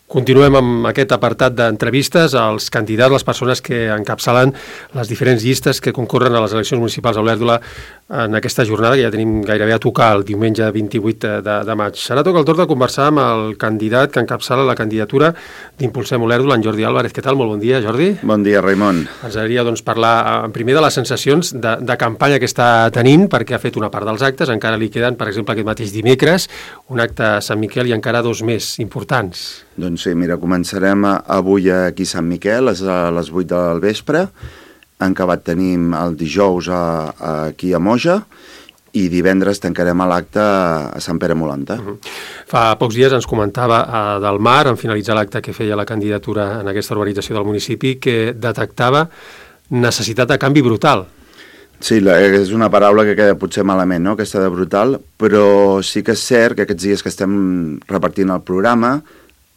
Continuem amb aquest apartat d'entrevistes als candidats, les persones que encapçalen les diferents llistes que concorren a les eleccions municipals a Olèrdola en aquesta jornada, que ja tenim gairebé a tocar el diumenge 28 de maig. Ara toca el torn de conversar amb el candidat que encapçala la candidatura d'Impulsem Olèrdola, en Jordi Álvarez. Què tal? Molt bon dia, Jordi. Bon dia, Raimon. Ens agradaria parlar primer de les sensacions de campanya que està tenint, perquè ha fet una part dels actes, encara li queden, per exemple, aquest mateix dimecres, un acte a Sant Miquel i encara dos més importants. Doncs sí, mira, començarem avui aquí a Sant Miquel, a les 8 del vespre. En acabat tenim el dijous aquí a Moja i divendres tancarem l'acte a Sant Pere Molanta. Fa pocs dies ens comentava del Mar, en finalitzar l'acte que feia la candidatura en aquesta urbanització del municipi, que detectava necessitat de canvi brutal. Sí, és una paraula que queda potser malament, no?, aquesta de brutal, però sí que és cert que aquests dies que estem repartint el programa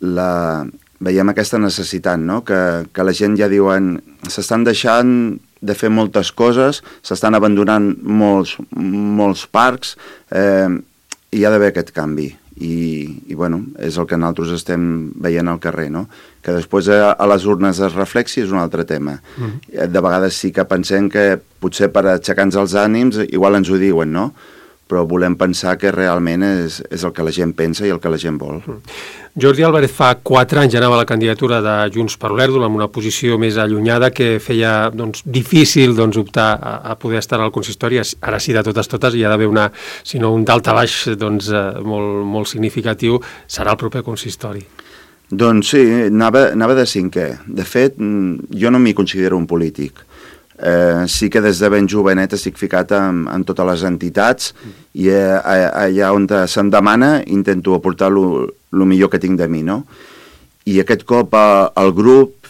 veiem aquesta necessitat, no?, que la gent ja diuen s'estan deixant de fer moltes coses, s'estan abandonant molts parcs, i hi ha d'haver aquest canvi. I bueno, és el que nosaltres estem veient al carrer, no?, que després a les urnes es reflexi és un altre tema. De vegades sí que pensem que potser per aixecar-nos els ànims igual ens ho diuen, no?, però volem pensar que realment és el que la gent pensa i el que la gent vol. Jordi Álvarez fa 4 anys ja anava a la candidatura de Junts per Olèrdola amb una posició més allunyada que feia difícil optar a poder estar al consistori. Ara sí, de totes hi ha d'haver un daltabaix molt significatiu, serà el proper consistori. Doncs sí, anava de cinquè. De fet, jo no m'hi considero un polític. Sí que des de ben jovenet estic ficat en totes les entitats i allà on se'm demana intento aportar el millor que tinc de mi, no? I aquest cop el grup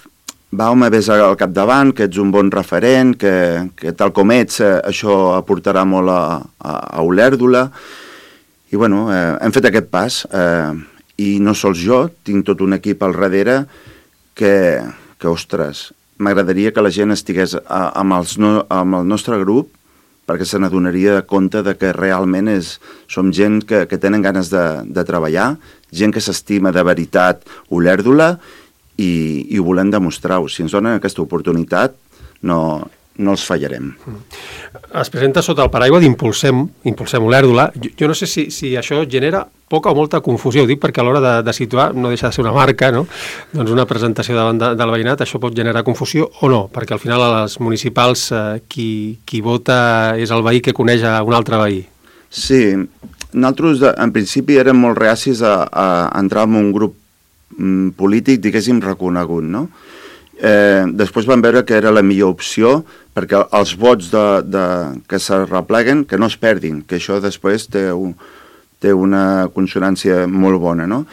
va-me ves al capdavant, que ets un bon referent, que tal com ets això aportarà molt a Olèrdola, i bueno, hem fet aquest pas, i no sols jo, tinc tot un equip al darrere que ostres, m'agradaria que la gent estigués amb el nostre grup perquè se n'adonaria de compte de que realment som gent que tenen ganes de treballar, gent que s'estima de veritat Olèrdola i ho volem demostrar-ho. Si ens donen aquesta oportunitat, no els fallarem. Es presenta sota el paraigua d'Impulsem Olèrdola. Jo no sé si això genera poca o molta confusió. Ho dic perquè a l'hora de situar, no deixa de ser una marca, no? Doncs una presentació davant del veïnat, això pot generar confusió o no? Perquè al final a les municipals qui vota és el veí que coneix a un altre veí. Sí, nosaltres en principi érem molt reacis a entrar en un grup polític, diguéssim, reconegut, no? Després vam veure que era la millor opció perquè els vots que s'arrepleguen, que no es perdin, que això després té una consonància molt bona, no?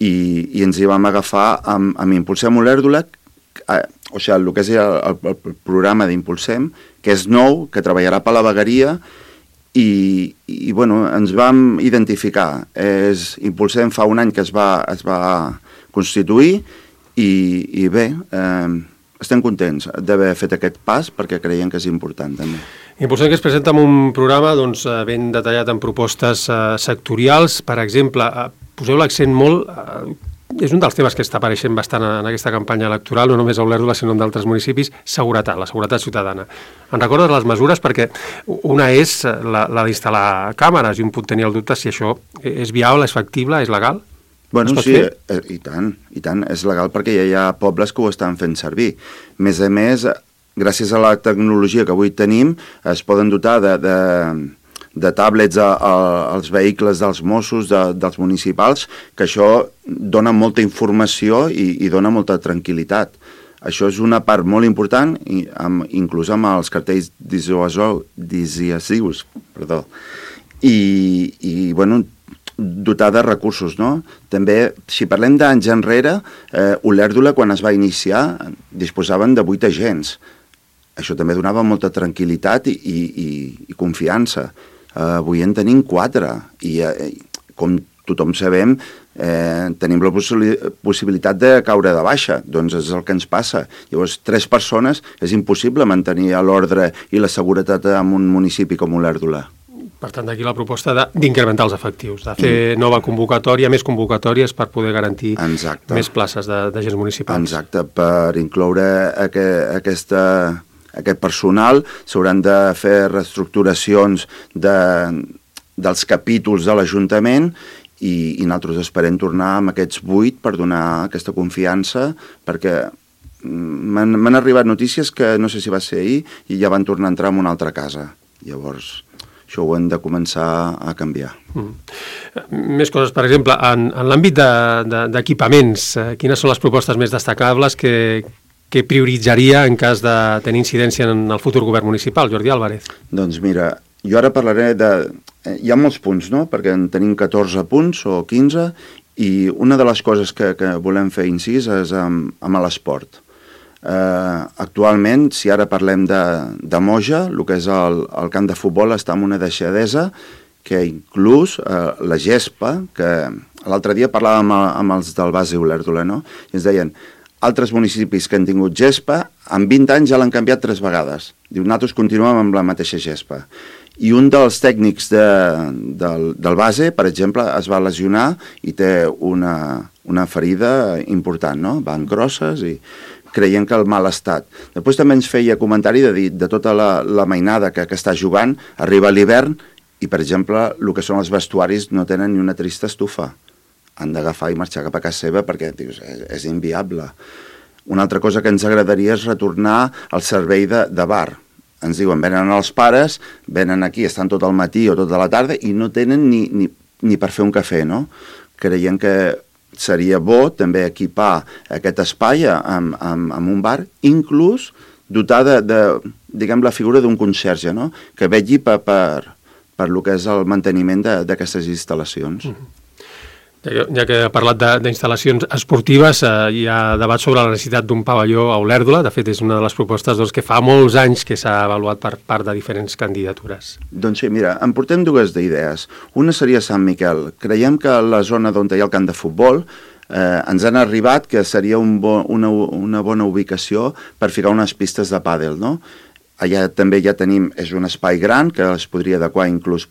I ens hi vam agafar amb Impulsem Olèrdola, o sigui, el que és el programa d'Impulsem, que és nou, que treballarà per la vegueria, i bueno, ens vam identificar. Impulsem fa un any que es va constituir, i bé, estem contents d'haver fet aquest pas perquè creiem que és important també. Impulsem que es presenta amb un programa ben detallat en propostes sectorials. Per exemple, poseu l'accent molt, és un dels temes que està apareixent bastant en aquesta campanya electoral, no només a Olèrdola sinó en d'altres municipis, seguretat, la seguretat ciutadana. En recordes les mesures? Perquè una és la d'instal·lar càmeres i un pot tenir el dubte si això és viable, és factible, és legal? Bueno, sí, i tant, és legal perquè ja hi ha pobles que ho estan fent servir. A més, gràcies a la tecnologia que avui tenim, es poden dotar de tablets als vehicles dels Mossos, dels municipals, que això dona molta informació i dona molta tranquil·litat. Això és una part molt important, inclús amb els cartells dissuasius, i bueno, dotar de recursos, no? També, si parlem d'anys enrere, Olèrdola, quan es va iniciar, disposaven de 8 agents. Això també donava molta tranquil·litat i confiança. Avui en tenim 4, i com tothom sabem, tenim la possibilitat de caure de baixa, doncs és el que ens passa. Llavors, 3 persones és impossible mantenir l'ordre i la seguretat en un municipi com Olèrdola. Per tant, d'aquí la proposta d'incrementar els efectius, de fer nova convocatòria, més convocatòries per poder garantir més places d'agents municipals. Exacte, per incloure aquest personal s'hauran de fer reestructuracions dels capítols de l'Ajuntament i nosaltres esperem tornar amb aquests 8 per donar aquesta confiança, perquè m'han arribat notícies que no sé si va ser ahir i ja van tornar a entrar en una altra casa. Llavors, això ho hem de començar a canviar. Més coses, per exemple, en l'àmbit d'equipaments, quines són les propostes més destacables que prioritzaria en cas de tenir incidència en el futur govern municipal, Jordi Álvarez? Doncs mira, jo ara parlaré hi ha molts punts, no?, perquè en tenim 14 punts o 15, i una de les coses que volem fer incís és amb l'esport. Actualment, si ara parlem de Moja, el que és el camp de futbol està en una deixadesa que inclús la gespa, que l'altre dia parlàvem amb els del base Olèrdola, no?, i ens deien, altres municipis que han tingut gespa, en 20 anys ja l'han canviat 3 vegades. Diu, nosaltres continuem amb la mateixa gespa. I un dels tècnics del base, per exemple, es va lesionar i té una ferida important, no?, van grosses i creient que el mal estat. Després també ens feia comentari de tota la mainada que està jugant, arriba l'hivern i, per exemple, el que són els vestuaris no tenen ni una trista estufa. Han d'agafar i marxar cap a casa seva perquè dius, és inviable. Una altra cosa que ens agradaria és retornar al servei de bar. Ens diuen, venen els pares, venen aquí, estan tot el matí o tota la tarda i no tenen ni per fer un cafè, no? Creiem que seria bo també equipar aquest espai amb un bar, inclús dotar diguem, la figura d'un conserge, no?, que vetlli per lo que és el manteniment d'aquestes instal·lacions. Ja que ha parlat d'instal·lacions esportives, hi ha debat sobre la necessitat d'un pavelló a Olèrdola. De fet, és una de les propostes que fa molts anys que s'ha avaluat per part de diferents candidatures. Doncs sí, mira, en portem 2 d'idees. Una seria Sant Miquel. Creiem que la zona on hi ha el camp de futbol ens han arribat que seria una bona ubicació per ficar unes pistes de pàdel, no? Allà també ja tenim, és un espai gran que es podria adequar inclús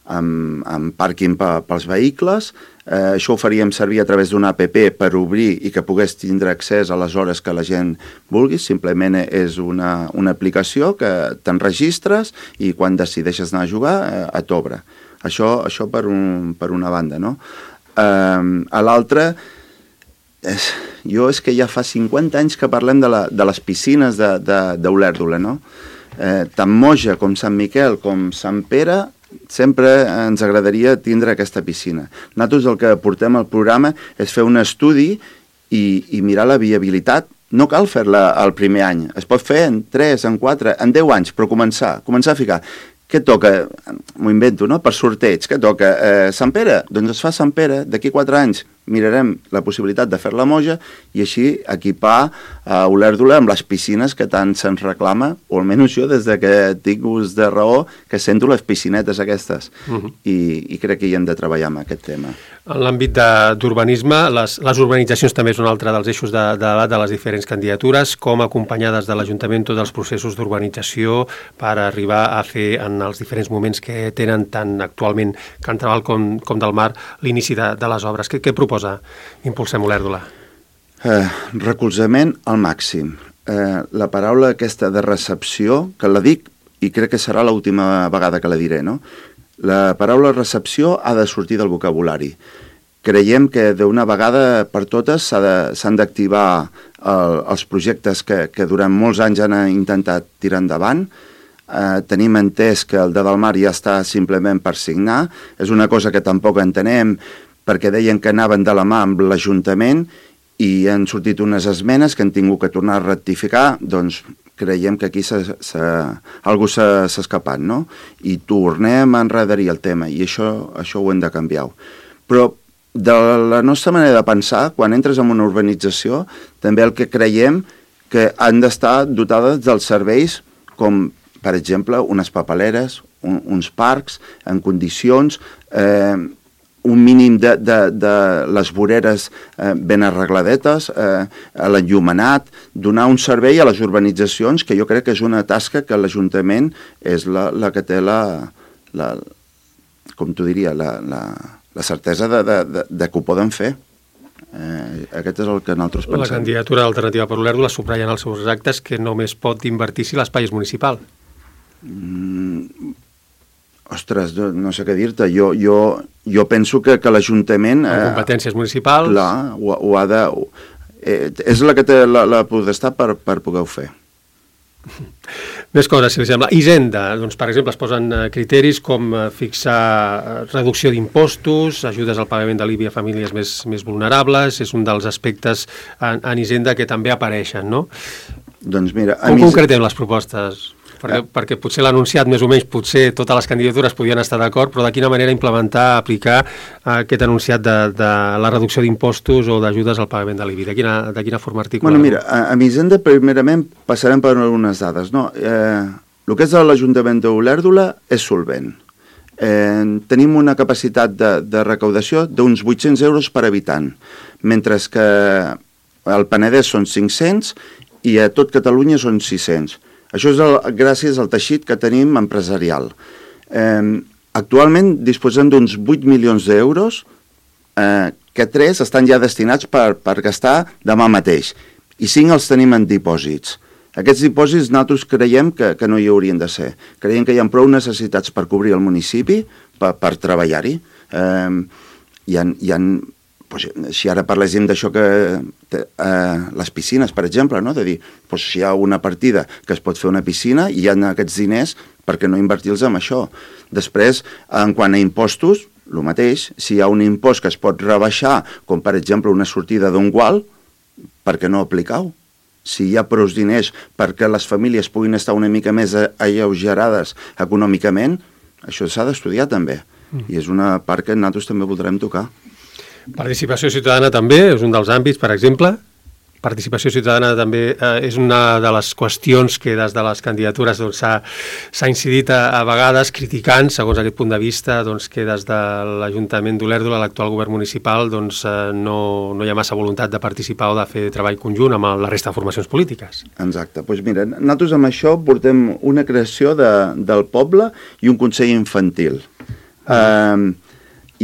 amb pàrquing pels vehicles. Això ho faríem servir a través d'una app per obrir i que pogués tindre accés a les hores que la gent vulgui. Simplement és una aplicació que t'enregistres i quan decideixes anar a jugar et obre. Això per una banda, no? A l'altra, és que ja fa 50 anys que parlem de les piscines d'Olèrdola, no? Tant Moja com Sant Miquel com Sant Pere sempre ens agradaria tindre aquesta piscina. Nosaltres el que portem al programa és fer un estudi i mirar la viabilitat. No cal fer-la el primer any, es pot fer en 3, en 4, en 10 anys, però començar a ficar. Què toca? M'ho invento, no?, per sorteig. Què toca? Sant Pere? Doncs es fa Sant Pere. D'aquí 4 anys mirarem la possibilitat de fer la Moja i així equipar Olèrdola amb les piscines que tant se'ns reclama, o almenys jo, des que tinc ús de raó, que sento les piscinetes aquestes. I crec que hi hem de treballar amb aquest tema. En l'àmbit d'urbanisme, les urbanitzacions també és un altre dels eixos de debat de les diferents candidatures, com acompanyades de l'Ajuntament tots els processos d'urbanització per arribar a fer en els diferents moments que tenen tant actualment Can Trabal com del Mar l'inici de les obres. Què proposa Impulsem Olèrdola? Recolzament al màxim. La paraula aquesta de recepció, que la dic i crec que serà l'última vegada que la diré, no? La paraula recepció ha de sortir del vocabulari. Creiem que d'una vegada per totes s'han d'activar els projectes que durant molts anys han intentat tirar endavant. Tenim entès que el de Delmar ja està simplement per signar. És una cosa que tampoc entenem, perquè deien que anaven de la mà amb l'Ajuntament i han sortit unes esmenes que han tingut que tornar a rectificar. Doncs creiem que aquí algú s'ha escapat, no? I tornem a enredarir el tema, i això ho hem de canviar. Però de la nostra manera de pensar, quan entres en una urbanització, també el que creiem que han d'estar dotades dels serveis com, per exemple, unes papeleres, uns parcs en condicions, un mínim de les voreres ben arregladetes, l'enllumenat, donar un servei a les urbanitzacions, que jo crec que és una tasca que l'Ajuntament és la que té la com t'ho diria, la certesa de que ho poden fer. Aquest és el que nosaltres pensem. La candidatura d'Alternativa per Olèrdola subratlla en els seus actes que només pot invertir si l'espai és municipal. Ostres, no sé què dir-te. Jo penso que l'Ajuntament... En competències municipals... Clar, ho ha de... És la que té la potestat per poder-ho fer. Més coses, si li sembla. Hisenda, doncs, per exemple, es posen criteris com fixar reducció d'impostos, ajudes al pagament de l'IBI a famílies més vulnerables, és un dels aspectes en Hisenda que també apareixen, no? Doncs mira... Com concretem les propostes? Perquè potser l'ha anunciat més o menys, potser totes les candidatures podien estar d'acord, però de quina manera implementar, aplicar aquest anunciat de la reducció d'impostos o d'ajudes al pagament de l'IBI? De quina forma articular? Bueno, mira, a Hisenda primerament passarem per algunes dades, no? El que és l'Ajuntament d'Olèrdola és solvent. Tenim una capacitat de recaudació d'uns 800 euros per habitant, mentre que al Penedès són 500 i a tot Catalunya són 600. Això és gràcies al teixit que tenim empresarial. Actualment disposem d'uns 8 milions d'euros, que 3 estan ja destinats per gastar demà mateix, i 5 els tenim en dipòsits. Aquests dipòsits nosaltres creiem que no hi haurien de ser. Creiem que hi ha prou necessitats per cobrir el municipi, per treballar-hi. Si ara parléssim d'això que les piscines, per exemple, no? De dir, si hi ha una partida que es pot fer una piscina i hi ha aquests diners, per què no invertir-los en això? Després, en quant a impostos, el mateix, si hi ha un impost que es pot rebaixar, com per exemple una sortida d'un gual, per què no aplicar-ho? Si hi ha prou diners perquè les famílies puguin estar una mica més alleugerades econòmicament, això s'ha d'estudiar també. I és una part que nosaltres també voldrem tocar. Participació ciutadana també és un dels àmbits, per exemple. Participació ciutadana també és una de les qüestions que des de les candidatures s'ha incidit a vegades criticant, segons aquest punt de vista, que des de l'Ajuntament d'Olèrdola, l'actual govern municipal, no hi ha massa voluntat de participar o de fer treball conjunt amb la resta de formacions polítiques. Exacte. Doncs mira, nosaltres amb això portem una creació del poble i un consell infantil.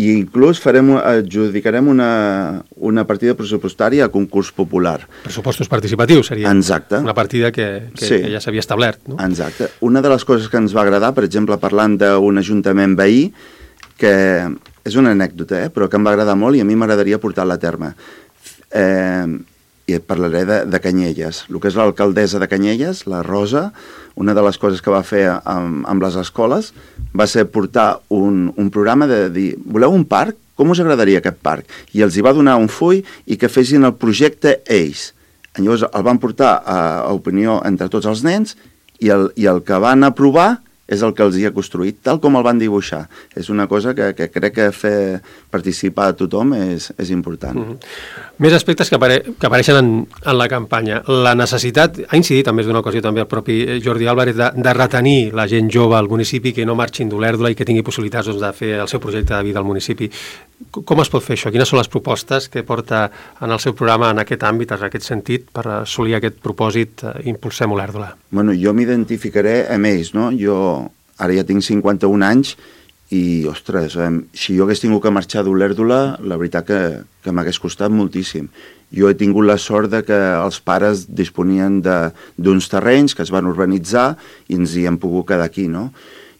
I inclús adjudicarem una partida pressupostària a concurs popular. Pressupostos participatius seria. Exacte. Una partida que ja s'havia establert, no? Exacte. Una de les coses que ens va agradar, per exemple, parlant d'un ajuntament veí, que és una anècdota, però que em va agradar molt i a mi m'agradaria portar-la a terme. I et parlaré de Canyelles. El que és l'alcaldessa de Canyelles, la Rosa, una de les coses que va fer amb les escoles va ser portar un programa de dir, voleu un parc? Com us agradaria aquest parc? I els hi va donar un full i que fessin el projecte ells. Llavors el van portar a opinió entre tots els nens i el que van aprovar és el que els hi ha construït, tal com el van dibuixar. És una cosa que crec que fer participar a tothom és important. Més aspectes que apareixen en la campanya. La necessitat, ha incidit en més d'una ocasió també el propi Jordi Álvarez, de retenir la gent jove al municipi, que no marxin d'Olèrdola i que tingui possibilitats de fer el seu projecte de vida al municipi. Com es pot fer això? Quines són les propostes que porta en el seu programa en aquest àmbit, en aquest sentit, per assolir aquest propòsit Impulsem Olèrdola? Bueno, jo m'identificaré amb ells, no? Jo ara ja tinc 51 anys i, ostres, si jo hagués tingut que marxar d'Olèrdola, la veritat que m'hagués costat moltíssim. Jo he tingut la sort de que els pares disponien d'uns terrenys que es van urbanitzar i ens hi hem pogut quedar aquí, no?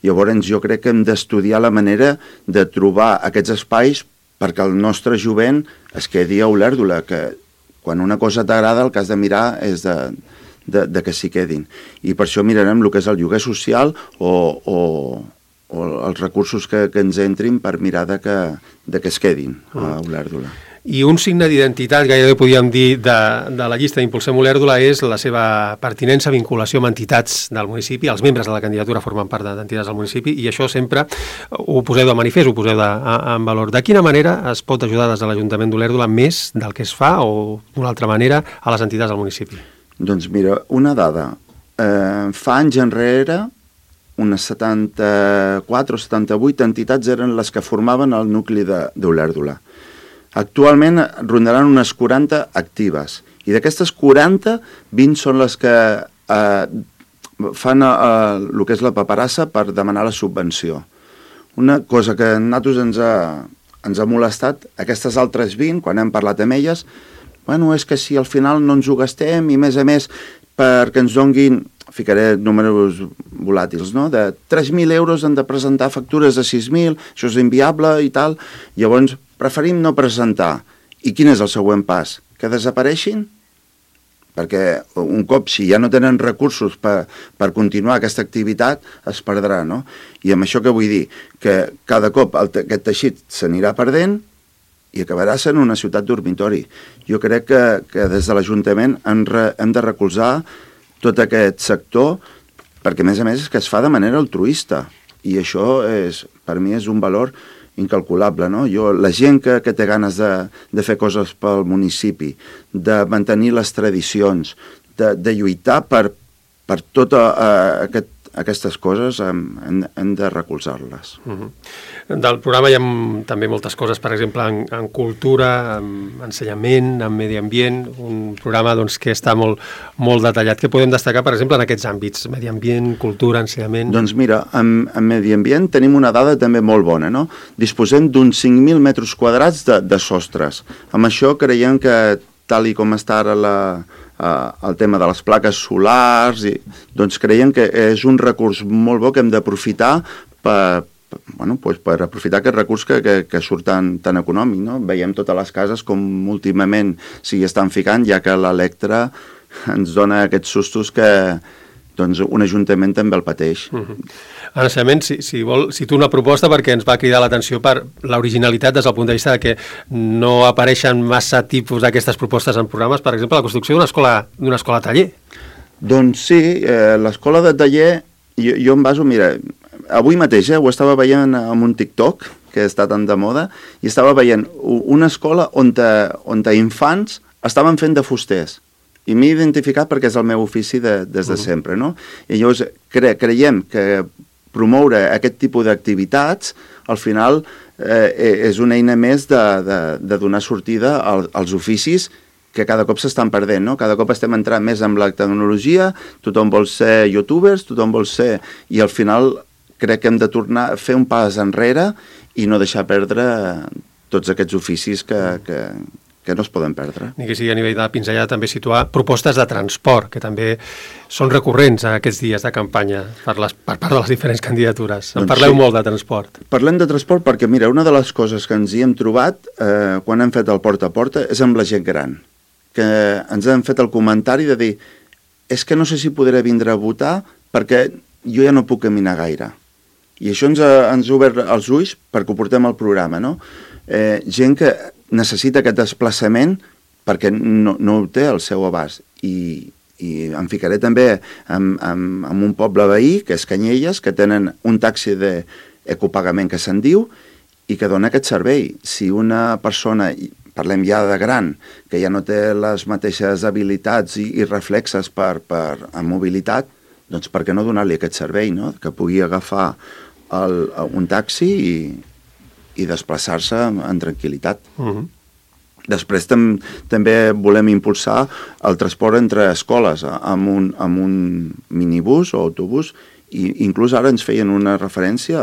Llavors jo crec que hem d'estudiar la manera de trobar aquests espais perquè el nostre jovent es quedi a Olèrdola, que quan una cosa t'agrada el que has de mirar és de que s'hi quedin. I per això mirarem el que és el lloguer social o els recursos que ens entrin per mirar de que es quedin a Olèrdola. I un signe d'identitat, gairebé podríem dir, de la llista d'Impulsem Olèrdola és la seva pertinença, vinculació amb entitats del municipi. Els membres de la candidatura formen part d'entitats del municipi i això sempre ho poseu de manifest, ho poseu en valor. De quina manera es pot ajudar des de l'Ajuntament d'Olèrdola més del que es fa o d'una altra manera a les entitats del municipi? Doncs mira, una dada. Fa anys enrere, unes 74 o 78 entitats eren les que formaven el nucli d'Olèrdola. Actualment rondaran unes 40 actives i d'aquestes 40, 20 són les que fan el que és la paperassa per demanar la subvenció. Una cosa que a nosaltres ens ha molestat, aquestes altres 20, quan hem parlat amb elles, bueno, és que si al final no ens ho gastem i a més perquè ens donguin, ficaré números volàtils, no? De 3.000 euros han de presentar factures de 6.000, això és inviable i tal, llavors preferim no presentar. I quin és el següent pas? Que desapareixin? Perquè un cop, si ja no tenen recursos per continuar aquesta activitat, es perdrà, no? I amb això què vull dir? Que cada cop aquest teixit s'anirà perdent i acabarà sent una ciutat dormitori. Jo crec que des de l'Ajuntament hem de recolzar tot aquest sector, perquè a més és que es fa de manera altruista, i això per mi és un valor incalculable, no? La gent que té ganes de fer coses pel municipi, de mantenir les tradicions, de lluitar per totes aquestes coses, hem de recolzar-les. Del programa hi ha també moltes coses, per exemple, en cultura, en ensenyament, en medi ambient, un programa que està molt detallat. Què podem destacar, per exemple, en aquests àmbits? Medi ambient, cultura, ensenyament... Doncs mira, en medi ambient tenim una dada també molt bona, no? Disposem d'uns 5.000 metres quadrats de sostres. Amb això creiem que, tal i com està ara el tema de les plaques solars, doncs creiem que és un recurs molt bo que hem d'aprofitar per aprofitar aquest recurs que surt tan econòmic, no? Veiem totes les cases com últimament s'hi estan ficant, ja que l'Electra ens dona aquests sustos que un ajuntament també el pateix. En ensenyament, si tu una proposta, perquè ens va cridar l'atenció per l'originalitat des del punt de vista de que no apareixen massa tipus d'aquestes propostes en programes, per exemple, la construcció d'una escola taller. Doncs sí, l'escola de taller, jo em baso, mira, avui mateix ho estava veient en un TikTok, que està tan de moda, i estava veient una escola on infants estaven fent de fusters. I m'he identificat perquè és el meu ofici des de sempre, no? I llavors creiem que promoure aquest tipus d'activitats, al final, és una eina més de donar sortida als oficis que cada cop s'estan perdent, no? Cada cop estem entrant més amb la tecnologia, tothom vol ser youtubers, tothom vol ser... I al final crec que hem de tornar a fer un pas enrere i no deixar perdre tots aquests oficis que no es poden perdre. Ni que sigui a nivell de pinzellada també situar propostes de transport, que també són recurrents a aquests dies de campanya per part de les diferents candidatures. En parleu molt de transport. Parlem de transport perquè, mira, una de les coses que ens hi hem trobat quan hem fet el porta a porta és amb la gent gran, que ens han fet el comentari de dir és que no sé si podré vindre a votar perquè jo ja no puc caminar gaire. I això ens ha obert els ulls perquè ho portem al programa, no? Gent que necessita aquest desplaçament perquè no ho té al seu abast. I em ficaré també en un poble veí, que és Canyelles, que tenen un taxi d'ecopagament que se'n diu i que dona aquest servei. Si una persona, parlem ja de gran, que ja no té les mateixes habilitats i reflexes en mobilitat, doncs per què no donar-li aquest servei, no? Que pugui agafar un taxi i desplaçar-se en tranquil·litat. Després també volem impulsar el transport entre escoles amb un minibús o autobús, i inclús ara ens feien una referència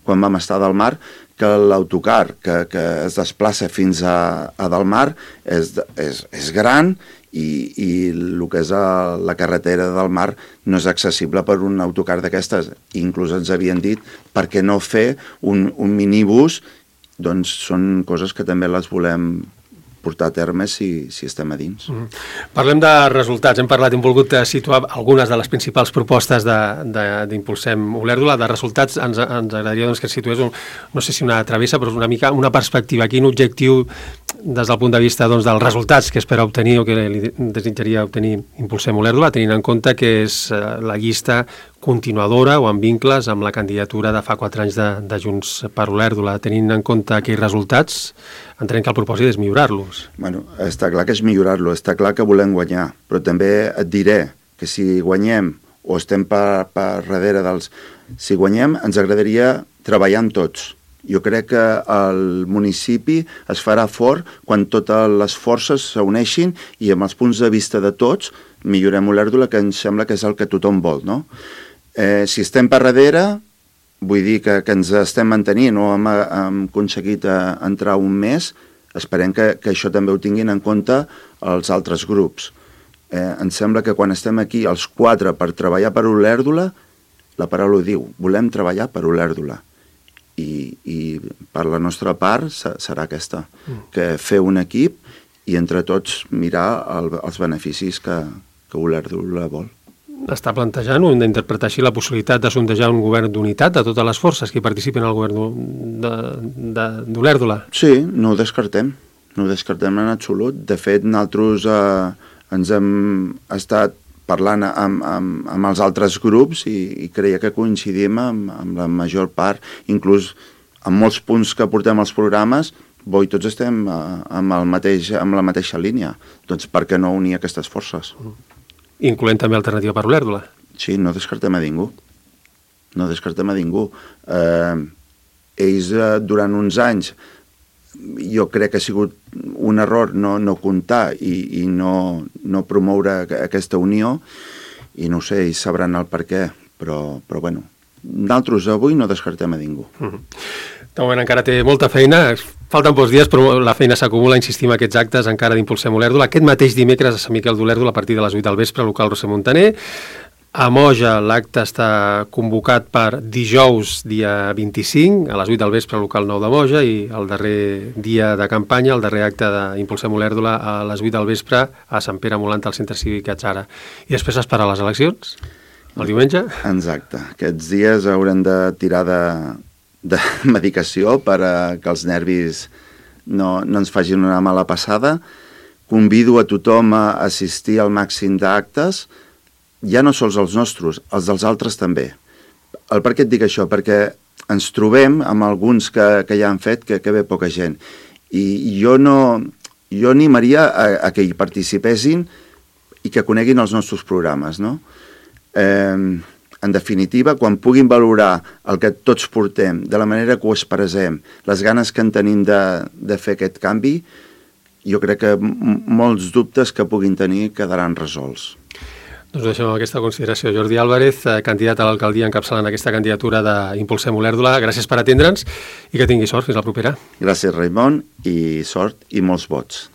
quan vam estar a Delmar, que l'autocar que es desplaça fins a Delmar és gran i el que és la carretera del Mar no és accessible per un autocar d'aquestes. Inclús ens havien dit per què no fer un minibús. Doncs són coses que també les volem portar a terme si estem a dins. Parlem de resultats. Hem parlat, hem volgut situar algunes de les principals propostes d'Impulsem Olèrdola. De resultats ens agradaria que ens situés, no sé si una travessa, però una mica una perspectiva. Quin objectiu des del punt de vista dels resultats que espera obtenir o que li desitjaria obtenir Impulsem Olèrdola, tenint en compte que és la llista continuadora o amb vincles amb la candidatura de fa 4 anys de Junts per Olèrdola. Tenint en compte aquells resultats, entenem que el propòsit és millorar-los. Bueno, està clar que és millorar-lo, està clar que volem guanyar, però també et diré que si guanyem o estem per darrere dels... Si guanyem, ens agradaria treballar amb tots. Jo crec que el municipi es farà fort quan totes les forces s'uneixin i amb els punts de vista de tots millorem Olèrdola, que ens sembla que és el que tothom vol, no? Si estem per darrere, vull dir que ens estem mantenint o hem aconseguit entrar un mes, esperem que això també ho tinguin en compte els altres grups. Em sembla que quan estem aquí els 4 per treballar per Olèrdola, la paraula ho diu, volem treballar per Olèrdola. I per la nostra part serà aquesta, que fer un equip i entre tots mirar els beneficis que Olèrdola vol. Està plantejant o hem d'interpretar així la possibilitat de sondejar un govern d'unitat de totes les forces que participen al govern d'Olèrdola? Sí, no ho descartem en absolut. De fet, nosaltres ens hem estat parlant amb els altres grups i creia que coincidim amb la major part, inclús en molts punts que portem als programes, tots estem amb la mateixa línia. Doncs per què no unir aquestes forces? Incloent també Alternativa per Olèrdola. Sí, no descartem a ningú. Ells, durant uns anys, jo crec que ha sigut un error no comptar i no promoure aquesta unió, i no sé, ells sabran el per què, però bueno, nosaltres avui no descartem a ningú. De moment encara té molta feina, falten pocs dies, però la feina s'acumula, insistim, aquests actes encara d'Impulsem Olèrdola. Aquest mateix dimecres a Sant Miquel d'Olèrdola a partir de les 8 del vespre, local Roser Montaner. A Moja l'acte està convocat per dijous, dia 25, a les 8 del vespre, local 9 de Moja, i el darrer dia de campanya, el darrer acte d'Impulsem Olèrdola a les 8 del vespre a Sant Pere Molant, al Centre Cívic Atzara. I després es para les eleccions, el diumenge? Exacte. Aquests dies haurem de tirar de medicació per que els nervis no ens facin una mala passada. Convido a tothom a assistir al màxim d'actes, ja no sols els nostres, els dels altres també. Per què et dic això? Perquè ens trobem amb alguns que ja han fet que ve poca gent. I jo animaria a que hi participessin i que coneguin els nostres programes, no? En definitiva, quan puguin valorar el que tots portem, de la manera que ho expressem, les ganes que en tenim de fer aquest canvi, jo crec que molts dubtes que puguin tenir quedaran resolts. Doncs deixem aquesta consideració. Jordi Álvarez, candidat a l'alcaldia encapçalant aquesta candidatura d'Impulsem Olèrdola. Gràcies per atendre'ns i que tingui sort. Fins la propera. Gràcies, Raimon, i sort i molts vots.